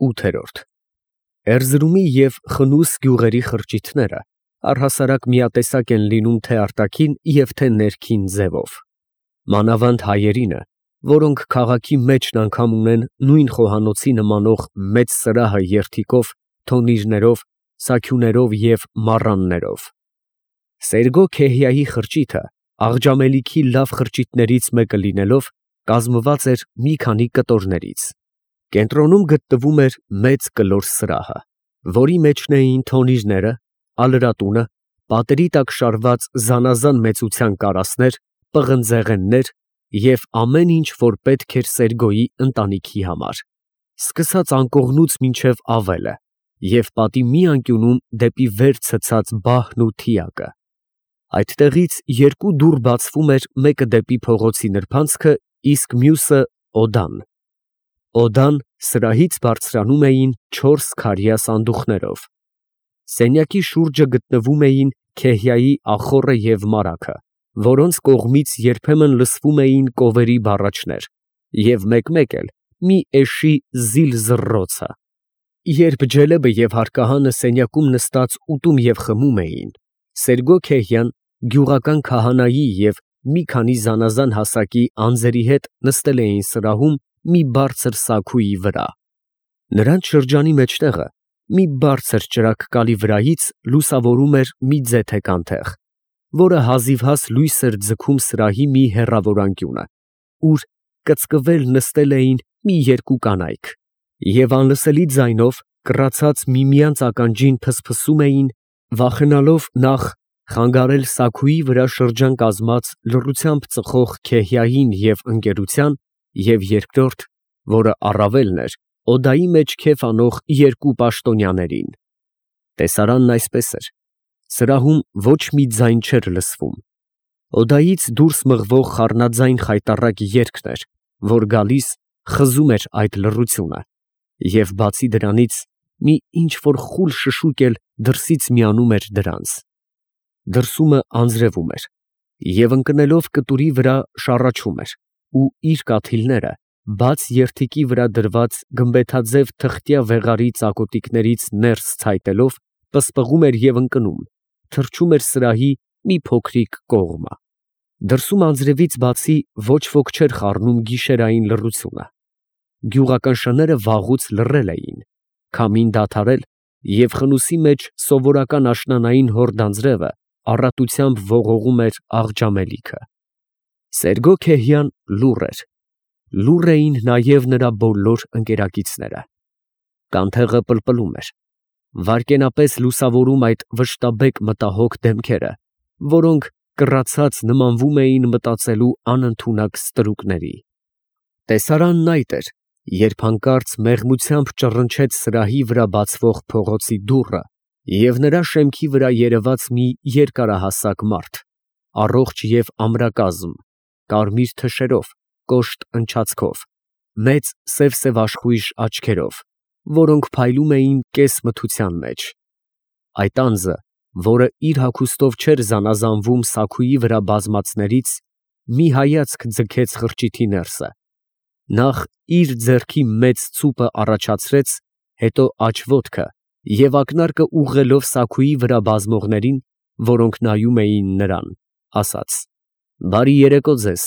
8։ Էրզրումի և Խնուս գյուղերի խրճիթները առհասարակ միատեսակ են լինում թե արտաքին և թե ներքին ձևով, մանավանդ հայերինը, որոնք քաղաքի մեջն անգամ ունեն նույն խոհանոցի նմանող մեծ սրահը երդիկով, թոնիրներով, սաքյուներով և մառաններով։ Սերգո-Քեհիայի խրճիթը աղջամելիքի լավ խրճիթներից մեկը լինելով, կազմված էր մի քանի կտորներից։ Կենտրոնում գտնվում էր մեծ կլոր սրահը, որի մեջն էին թոնիրները, ալրատունը, պատերի տակ շարված զանազան մեծության կարասներ, պղնձեղեններ և ամեն ինչ, որ պետք էր Սերգոյի ընտանիքի համար, սկսած անկողնուց մինչև ավելը և պատի մի անկյունում դեպի վեր ցցած բահն ու թիակը։ Այդտեղից երկու դուռ բացվում էր, մեկը դեպի փողոցի նրբանցքը, իսկ մյուսը օդան։ Օդան սրահից բարձրանում էին 4 քարյա սանդուղքներով։ Սենյակի շուրջը գտնվում էին Քեհիայի ախոռը և մարագը, որոնց կողմից երբեմն լսվում էին կովերի բառաչներ և մեկ-մեկ էլ մի էշի զիլ զռռոցը։ Երբ Ջելեբը և հարկահանը սենյակում նստած ուտում և խմում էին, Սերգո-Քեհյան գյուղական քահանայի և մի քանի զանազան հասակի անձերի հետ նստել էին սրահում մի բարձր սաքույի վրա։ Նրանց շրջանի մեջտեղը մի բարձր ճրագկալի վրայից լուսավորում էր մի ձեթեք անթեղ, որը հազիվհաս լույս էր ձգում սրահի մի հեռավոր անկյունը, ուր կծկվել նստել էին մի երկու կանայք և անլսելի ձայնով, կռացած միմյանց ականջին փսփսում էին, վախենալով նախ խանգարել սաքույի վրա շրջան կազմած լռությամբ ծխող Քեհիային և ընկերության և երկրորդ, որը առավելն էր, օդայի մեջ քեֆ անող երկու պաշտոնյաներին։ Տեսարանն այսպես էր. սրահում ոչ մի ձայն չէր լսվում։ Օդայից դուրս մղվող խառնաձայն խայտառակ երգն էր, որ գալիս խզում էր այդ լռությունը, և բացի դրանից, մի ինչ֊որ խուլ շշուկ էլ դրսից միանում էր դրանց։ Դրսումը անձրևում էր և ընկնելով կտուրի վրա շառաչում էր ու իր կաթիլները բաց երդիկի վրա դրված գմբեթաձև թղթյա վեղարի ծակոտիքներից ներս ցայտելով պսպղում էր և ընկնում, թռչում էր սրահի մի փոքրիկ կողմը։ Դրսում անձրևից բացի ոչ ոք չէր խառնում գիշերային լռությունը։ Գյուղական շները վաղուց լռել էին, քամին դադարել և խնուսի մեջ սովորական աշնանային հորդ անձրևը առատությամբ ողողում էր աղջամելիքը։ Սերգո-Քեհյան լուռ էր, լուռ էին նաև նրա բոլոր ընկերակիցները։ Կանթեղը պլպլում էր, վայրկենապես լուսավորում այդ վշտաբեկ մտահոգ դեմքերը, որոնք կռացած նմանվում էին մտածելու անընդունակ ստրուկների։ Տեսարանն այդ էր, երբ հանկարծ մեղմությամբ ճռնչեց սրահի վրա բացվող փողոցի դուռը և նրա շեմքի վրա երևաց մի երկարահասակ մարդ, առողջ և ամրակազմ, կարմիր թշերով, կոշտ ընչացքով, մեծ սև աշխույժ աչքերով, որոնք փայլում էին կես֊մթության մեջ։ Այդ անձը, որը իր հագուստով չէր զանազանվում սաքույի վրա բազմածներից, մի հայացք ձգեց խրճիթի ներսը, նախ իր ձեռքի մեծ ցուպը առաջացրեց, հետո աջ ոտքը և ակնարկը ուղղելով սաքույի վրա բազմողներին, որոնք նայում էին նրան, ասաց. «Բարի երեկո ձեզ»։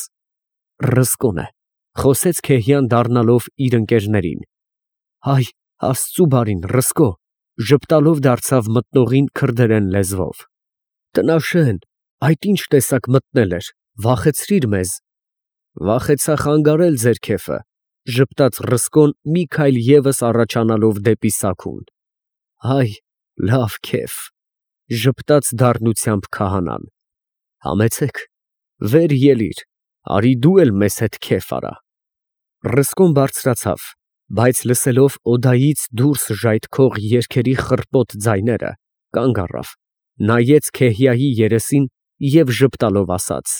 Ռսկոն է, ֊ խոսեց Քեհյան դառնալով իր ընկերներին։ Հայ աստծու բարին, Ռսկո, ֊ ժպտալով դարձավ մտնողին քրդերեն լեզվով։ Տնաշեն, այդ ի՞նչ տեսակ մտնել էր, վախեցրիր մեզ։ Վախեցա խանգարել ձեր քեֆը, ֊ ժպտաց Ռսկոն մի քայլ ևս առաջանալով դեպի սաքուն։ Հայ, լավ քեֆ, ֊ ժպտաց դառնությամբ քահանան։ Համեցեք, վեր ելիր, արի դու էլ մեզ հետ քեֆ արա։ Ռսկոն բարձրացավ, բայց լսելով օդայից դուրս ժայթքող երգերի խռպոտ ձայները, կանգ առավ, նայեց Քեհիայի երեսին և ժպտալով ասաց.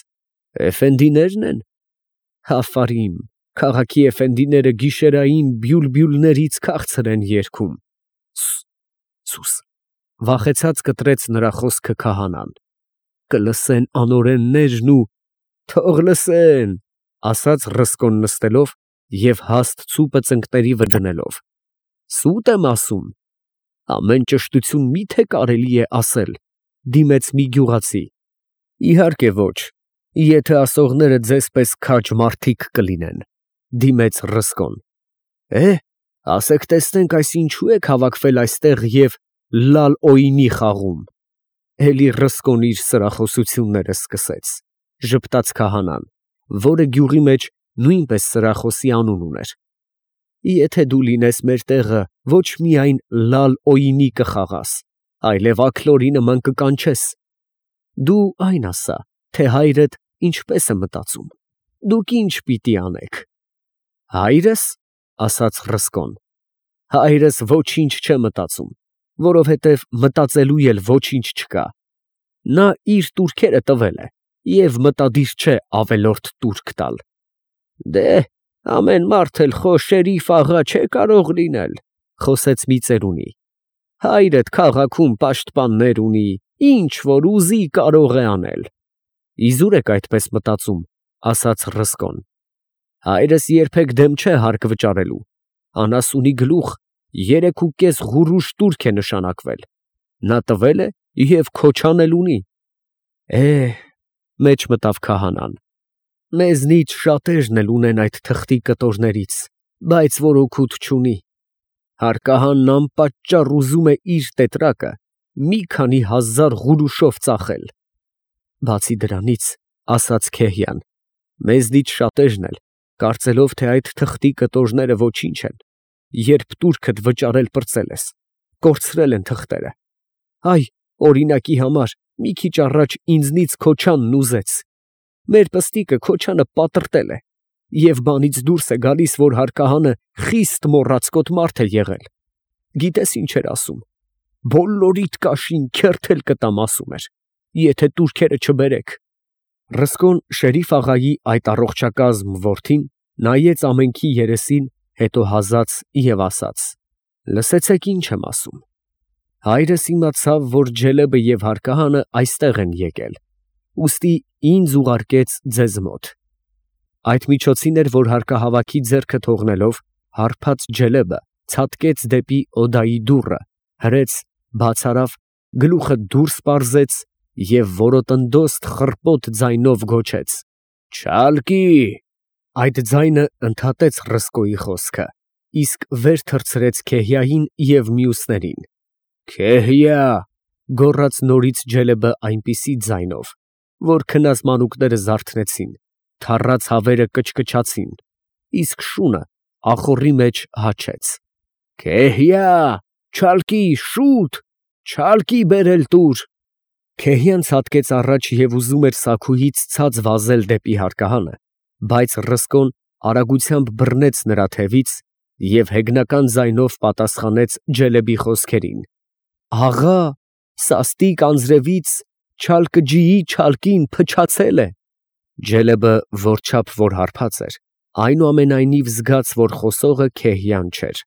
Էֆենդինե՞րն են։ Աֆարիմ, քաղաքի էֆենդիները գիշերային բյուլբյուլներից քաղցր են երգում։ Սուս, վախեցած կտրեց նրա խոսքը քահանան։ Կլսեն անօրեններն ու… Թող լսեն, ֊ ասաց Ռսկոն նստելով և հաստ ցուպը ծնկների վրա դնելով։ Սուտ եմ ասում։ Ամեն ճշտություն մի՞թե կարելի է ասել, դիմեց մի գյուղացի։ Իհարկե ոչ, եթե ասողները ձեզպես քաջ մարդիկ կլինեն, դիմեց Ռսկոն։ Ասեք տեսնենք, այս ինչու եք հավաքվել այստեղ և լալ֊օյնի խաղում։ Էլի Ռսկոն իր սրախոսությունները սկսեց, ժպտաց քահանան, որը գյուղի մեջ նույնպես սրախոսի անուն ուներ։ Եթե դու լինես մեր տեղը, ոչ միայն լալ֊օյնի կխաղաս, այլև աքլորի նման կկանչես։ Դու այն ասա, թե հայրդ ինչպես է մտածում, դուք ինչ պիտի անեք։ Հայրս, ասաց Ռսկոն, հայրս ոչինչ չէ մտածում, որովհետև մտածելու էլ ոչինչ չկա։ Նա իր տուրքերը տվել է և մտադիր չէ ավելորդ տուրք տալ։ Դե, ամեն մարդ էլ խո շերիֆ աղա չէ կարող լինել, խոսեց մի ծերունի։ Հայրդ քաղաքում պաշտպաններ ունի, ինչ որ ուզի կարող է անել։ Իզուր եք այդպես մտածում, ասաց Ռսկոն։ Հայրս երբեք դեմ չէ հարկ վճարելու, անասունի գլուխ 3.5 ղուրուշ տուրք է նշանակվել, նա տվել է և քոչան էլ ունի։ Մեջ մտավ քահանան, մեզնից շատերն էլ ունեն այդ թղթի կտորներից, բայց որ օգուտ չունի։ Հարկահանն անպատճառ ուզում է իր տետրակը մի քանի հազար ղուրուշով ծախել։ Բացի դրանից, ասաց Քեհիան, մեզնից շատերն էլ, կարծելով, թե այդ թղթի կտորները ոչինչ են, երբ տուրքդ վճարել պրծել ես, կորցրել են թղթերը։ Այ, օրինակի համար, մի քիչ առաջ ինձնից քոչանն ուզեց։ Մեր պստիկը քոչանը պատրտել է, և բանից դուրս է գալիս, որ հարկահանը խիստ մոռացկոտ մարդ է եղել։ Գիտես ինչ էր ասում. բոլորիդ կաշին քերթել կտամ ասում էր, եթե տուրքերը չբերեք։ Ռսկոն շերիֆ աղայի այդ առողջակազմ որդին նայեց ամենքի երեսին, հետո հազաց և ասաց. լսեցեք ինչ եմ ասում։ Հայրս իմացավ, որ Ջելեբը և հարկահանը այստեղ են եկել, ուստի ինձ ուղարկեց ձեզ մոտ։ Այդ միջոցին էր, որ հարկահավաքի ձեռքը թողնելով, հարբած Ջելեբը ցատկեց դեպի օդայի դուռը, հրեց, բաց արավ, գլուխը դուրս պարզեց և որոտնդոստ խռպոտ ձայնով գոչեց. «Չալկի»։ Այդ ձայնը ընդհատեց Ռսկոյի խոսքը, իսկ վեր թռցրեց Քեհիային և մյուսներին։ «Քեհիա», գոռաց նորից Ջելեբը այնպիսի ձայնով, որ քնած մանուկները զարթնեցին, թառած հավերը կչկչացին, իսկ շունը ախոռի մեջ հաչեց։ «Քեհիա, չալկի, շուտ, չալկի բերել տուր»։ Քեհիան ցատկեց առաջ և ուզում էր սաքուհից ցած վազել դեպի հարկահանը, բայց Ռսկոն արագությամբ բռնեց նրա թևից և հեգնական ձայնով պատասխանեց Ջելեբի խոսքերին. «Աղա, սաստիկ անձրևից Չալկջիի չալկին փչացել է»։ Ջելեբը որչափ որ հարբած էր, այնուամենայնիվ զգաց, որ խոսողը Քեհիան չէր։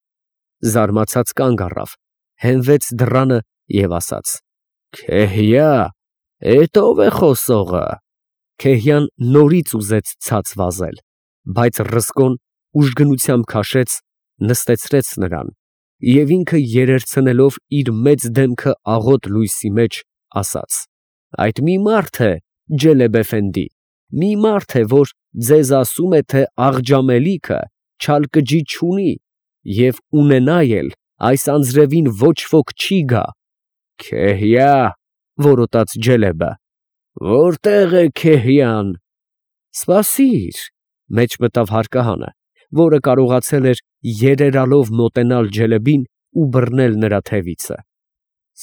Զարմացած կանգ առավ, հենվեց դռանը և ասաց. «Քեհիա, էդ ո՞վ է խոսողը»։ Քեհիան նորից ուզեց ցած վազել, բայց Ռսկոն ուժգնությամբ քաշեց, նստեցրեց նրան և ինքը երերցնելով իր մեծ դեմքը աղոտ լույսի մեջ, ասաց. «Այդ մի մարդ է, Ջելեբ էֆենդի, մի մարդ է, որ ձեզ ասում է, թե Աղջամելիքը Չալկջի չունի և ունենա էլ այս անձրևին ոչ ոք չի գա»։ «Քեհիա», որոտաց Ջելեբը, «որտե՞ղ է Քեհիան»։ «Սպասիր», մեջ մտավ հարկահանը, որը կարողացել էր երերալով մոտենալ Ջելեբին ու բռնել նրա թևիցը։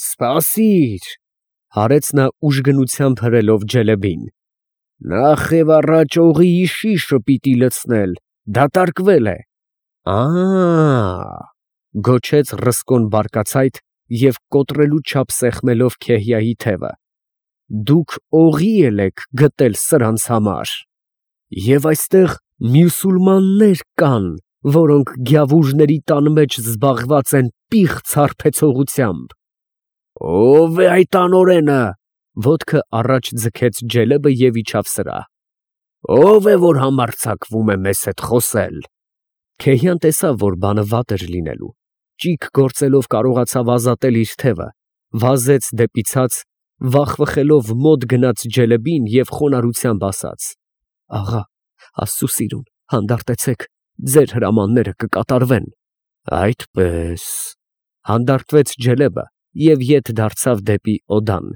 «Սպասիր», հարեց նա ուժգնությամբ հրելով Ջելեբին։ «Նախ և առաջ օղիի շիշը պիտի լցնել, դատարկվել է»։ Գոչեց Ռսկոն բարկացայդ և կոտրելու չափ սեղմելով Քեհիայի թևը։ «Դուք օղի էլ եք գտել սրանց համար։ Եվ այստեղ մյուսուլմաններ կան, որոնք գյավուժների տան մեջ զբաղված են պիղծ հարբեցողությամբ»։ «Ո՞վ է այդ անօրենը», ոտքը առաջ ձգեց Ջելեբը և իջավ սրահ։ «Ո՞վ է, որ համարձակվում է մեզ հետ խոսել»։ Քեհիան տեսավ, որ բանը վատ էր լինելու, ճիգ գործելով կարողացավ ազատել իր թևը, վազեց դեպի ցած, վախվխելով մոտ գնաց Ջելեբին և խոնարհությամբ ասաց. «Աղա, Աստծու սիրուն, հանդարտեցեք, ձեր հրամանները կկատարվեն»։ Այդպես, հանդարտվեց Ջելեբը և ետ դարձավ դեպի Օդան։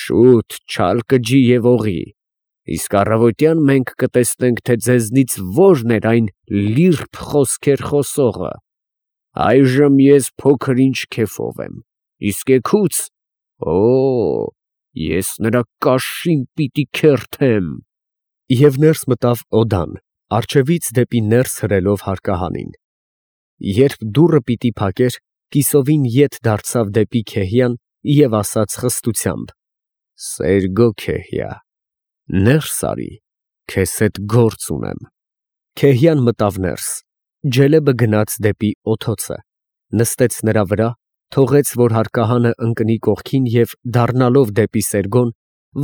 Շուտ չալ կջի և օղի, իսկ առավոտյան մենք կտեսնենք, թե ձեզնից որն էր այն լիրբ խոսքեր խոսողը։ Այժմ ես փոքր-ինչ քեֆով եմ, իսկ էգուց, ես նրա կաշին պիտի քերթեմ։ Եվ ներս մտավ Օդան, առջևից դեպի ներս հրելով հարկահանին։ Երբ դուռը պիտի փակեր, կիսովին ետ դարձավ դեպի Քեհիան և ասաց խստությամբ. «Սերգո Քեհիա, ներս արի, քեզ հետ գործ ունեմ»։ Քեհիան մտավ ներս, Ջելեբը գնաց դեպի օդոցը, նստեց նրա վրա, թողեց, որ հարկահանը ընկնի կողքին և դառնալով դեպի Սերգոն,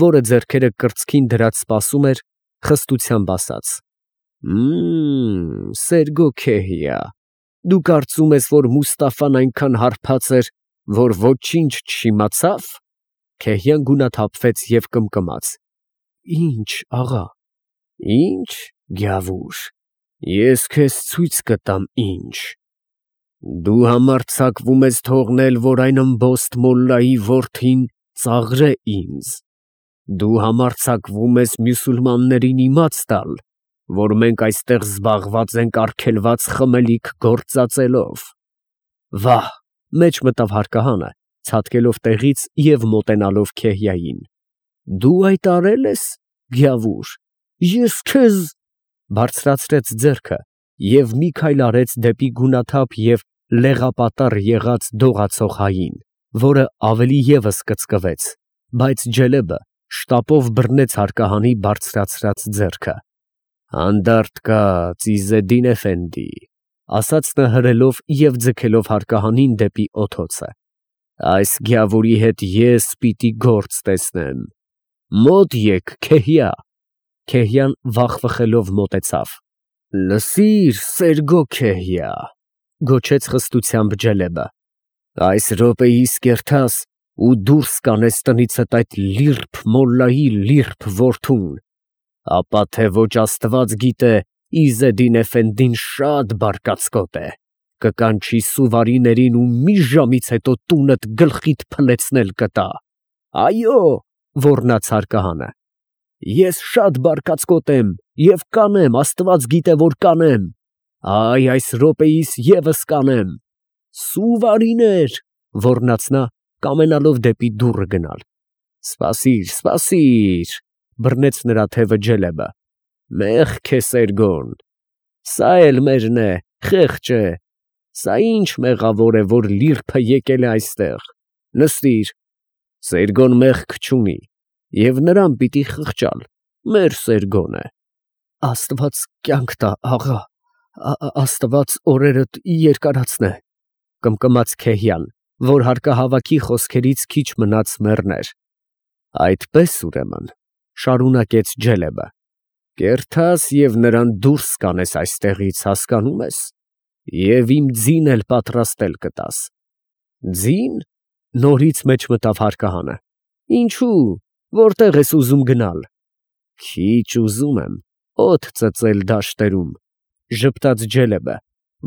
որը ձեռքերը կրծքին դրած սպասում էր, խստությամբ ասաց. Սերգո Քեհիա, դու կարծում ես, որ Մուստաֆան այնքան հարբած էր, որ ոչինչ չիմացավ։ Քեհիան գունաթափվեց և կմկմաց. Ինչ, աղա։ Ինչ, գյավուր, ես քեզ ցույց կտամ ինչ։ Դու համարձակվում ես թողնել, որ այն ըմբոստ մոլլայի որդին ծաղրե ինձ։ Դու համարձակվում ես մյուսուլմաններին իմաց տալ, որ մենք այստեղ զբաղված ենք արգելված խմելիք գործածելով։ Վահ, մեջ մտավ հարկահանը, ցատկելով տեղից և մոտենալով Քեհիային։ Դու այդ արել ես, գյավուր, ես քեզ… Բարձրացրեց ձեռքը և մի քայլ արեց դեպի գունաթափ և լեղապատառ եղած դողացող հային, որը ավելի ևս կծկվեց, բայց Ջելեբը շտապով բռնեց հարկահանի բարձրացրած ձեռքը։ Հանդարտ կաց, Իզեդին էֆենդի, ասաց նա հրելով և ձգելով հարկահանին դեպի օդոցը։ Այս գյավուրի հետ ես պիտի գործ տեսնեմ։ Մոտ եկ, Քեհիա։ Քեհիան վախվխելով մոտեցավ։ Լսիր, Սերգո Քեհիա, գոչեց խստությամբ Ջելեբը։ Այս րոպեիս կերթաս ու դուրս կանես տնիցդ այդ լիրբ մոլլայի լիրբ որդուն, ապա թե ոչ Աստված գիտե, Իզեդին էֆենդին շատ բարկացկոտ է, կկանչի սուվարիներին ու մի ժամից հետո տունդ գլխիդ փլեցնել կտա։ Այո, ոռնաց հարկահանը, ես շատ բարկացկոտ եմ և կանեմ, Աստված գիտե, որ կանեմ, այ այս րոպեիս ևս կանեմ։ Սուվարիներ, ոռնաց նա, կամենալով դեպի դուռը գնալ։ Սպասիր, սպասիր, բռնեց նրա թևը Ջելեբը։ Մեղք է Սերգոն, սա էլ մերն է, խեղճ է, սա ինչ մեղավոր է, որ լիրբը եկել է այստեղ, նստիր, Սերգոն մեղք չունի, և նրան պիտի խղճալ, մեր Սերգոն է։ Աստված կյանք տա, աղա, Աստված օրերդ երկարացնե, կմկմաց Քեհիան, որ հարկահավաքի խոսքերից քիչ մնաց մեռներ։ Այդպես ուրեմն, շարունակեց Ջելեբը, կերթաս և նրան դուրս կանես այստեղից, հասկանում ես, և իմ ձին էլ պատրաստել կտաս։ Ձին, նորից մեջ մտավ հարկահանը։ Ինչու, որտեղ ես ուզում գնալ։ Քիչ ուզում եմ օդ ծծել դաշտերում, ժպտաց Ջելեբը,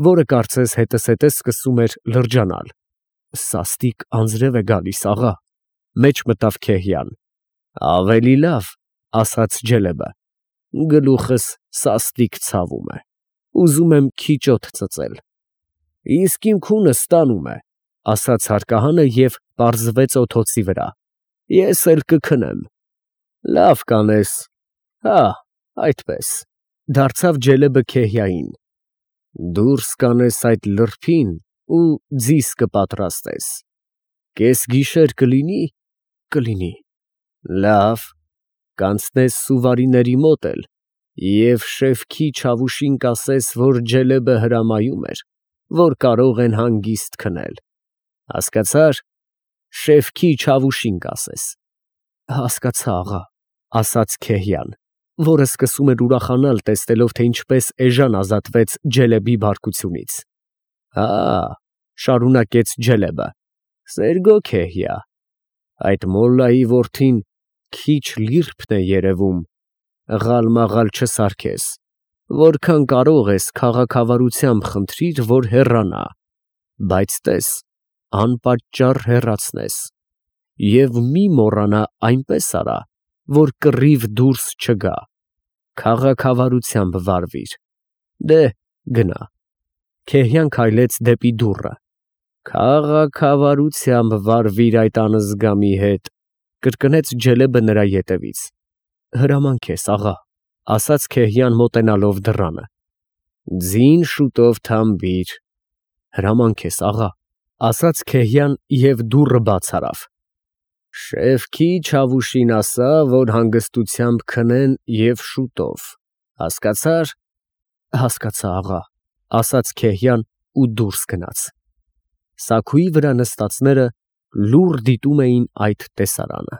որը կարծես հետզհետե սկսում էր լրջանալ։ Սաստիկ անձրև է գալիս, աղա, մեջ մտավ Քեհիան։ Ավելի լավ, ասաց Ջելեբը, գլուխս սաստիկ ցավում է, ուզում եմ քիչ օդ ծծել։ Իսկ իմ քունս տանում է, ասաց հարկահանը և պարզվեց օդոցի վրա։ Ես էլ կքնեմ։ Լավ կանես, հա, այդպես, դարձավ Ջելեբը Քեհիային։ Դուրս կանես այդ լրբին ու ձիս կպատրաստես։ Կես գիշեր կլինի։ Կլինի։ Լավ, կանցնես սուվարիների մոտ էլ և Շեֆքի Չավուշին կասես, որ Ջելեբը հրամայում էր, որ կարող են հանգիստ քնել։ Հասկացա՞ր, Շեֆքի Չավուշին կասես։ Հասկացա, աղա, ասաց Քեհիան, որը սկսում էր ուրախանալ, տեսնելով, թե ինչպես էժան ազատվեց Ջելեբի բարկությունից։ Հա, Շարունակեց Ջելեբը։ Սերգո Քեհիա, այդ մոլլայի որդին քիչ լիրբն է երևում, ղալ-մաղալ չսարքես, որքան կարող ես քաղաքավարությամբ խնդրիր, որ հեռանա, բայց տես, անպատճառ հեռացնես, և մի մոռանա այնպես արա, որ կռիվ դուրս չգա, քաղաքավարությամբ վարվիր, դե գնա։ Քեհիան քայլեց դեպի դուռը։ Քաղաքավարությամբ վարվիր այդ անզգամի հետ, կրկնեց Ջելեբը նրա ետևից։ Հրամանք ես, աղա, ասաց Քեհիան մոտենալով դռանը։ Ձին շուտով թամբիր։ Հրամանք ես, աղա, ասաց Քեհիան և դուռը բաց արավ։ Շեֆքի Չավուշին ասա, որ հանգստությամբ քնեն և շուտով, հասկացա՞ր։ Հասկացա, աղա, ասաց Քեհիան ու դուրս գնաց։ Սաքուի վրա նստածները լուռ դիտում էին այդ տեսարանը։